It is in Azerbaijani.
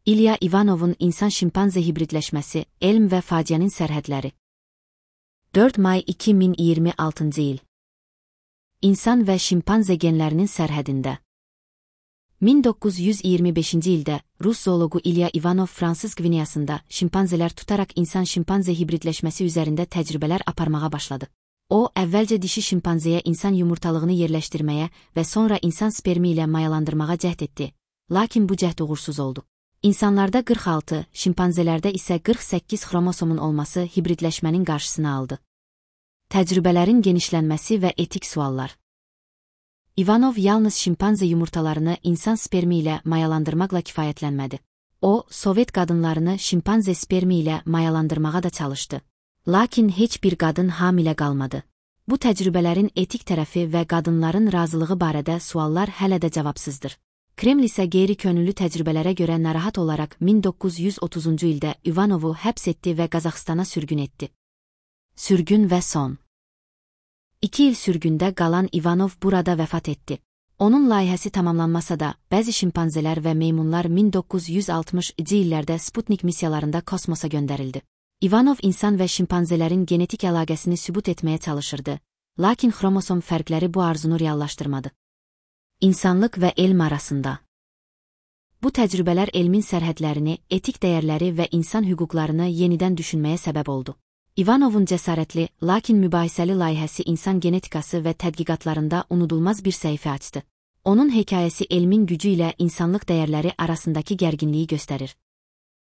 İlya Ivanovun insan-şimpanze hibridləşməsi, elm və faciənin sərhədləri. 4 may 2026 il. İnsan və şimpanze genlərinin sərhədində. 1925-ci ildə Rus zooloqu İlya Ivanov Fransız Qvineyasında şimpanzelər tutaraq insan-şimpanze hibridləşməsi üzərində təcrübələr aparmağa başladı. O, əvvəlcə dişi şimpanzeyə insan yumurtalığını yerləşdirməyə və sonra insan spermi ilə mayalandırmağa cəhd etdi, lakin bu cəhd uğursuz oldu. İnsanlarda 46, şimpanzelərdə isə 48 xromosomun olması hibridləşmənin qarşısını aldı. Təcrübələrin genişlənməsi və etik suallar. Ivanov yalnız şimpanze yumurtalarını insan spermi ilə mayalandırmaqla kifayətlənmədi. O, Sovet qadınlarını şimpanze spermi ilə mayalandırmağa da çalışdı. Lakin heç bir qadın hamilə qalmadı. Bu təcrübələrin etik tərəfi və qadınların razılığı barədə suallar hələ də cavabsızdır. Kreml isə qeyri-könüllü təcrübələrə görə narahat olaraq 1930-cu ildə Ivanovu həbs etdi və Qazaxstana sürgün etdi. Sürgün və son. 2 il sürgündə qalan Ivanov burada vəfat etdi. Onun layihəsi tamamlanmasa da, bəzi şimpanzelər və meymunlar 1960-cı illərdə Sputnik missiyalarında kosmosa göndərildi. Ivanov insan və şimpanzelerin genetik əlaqəsini sübut etməyə çalışırdı, lakin xromosom fərqləri bu arzunu reallaşdırmadı. İnsanlıq və elm arasında. Bu təcrübələr elmin sərhədlərini, etik dəyərləri və insan hüquqlarını yenidən düşünməyə səbəb oldu. Ivanovun cəsarətli, lakin mübahisəli layihəsi insan genetikası və tədqiqatlarında unudulmaz bir səhifə açdı. Onun hekayəsi elmin gücü ilə insanlıq dəyərləri arasındakı gərginliyi göstərir.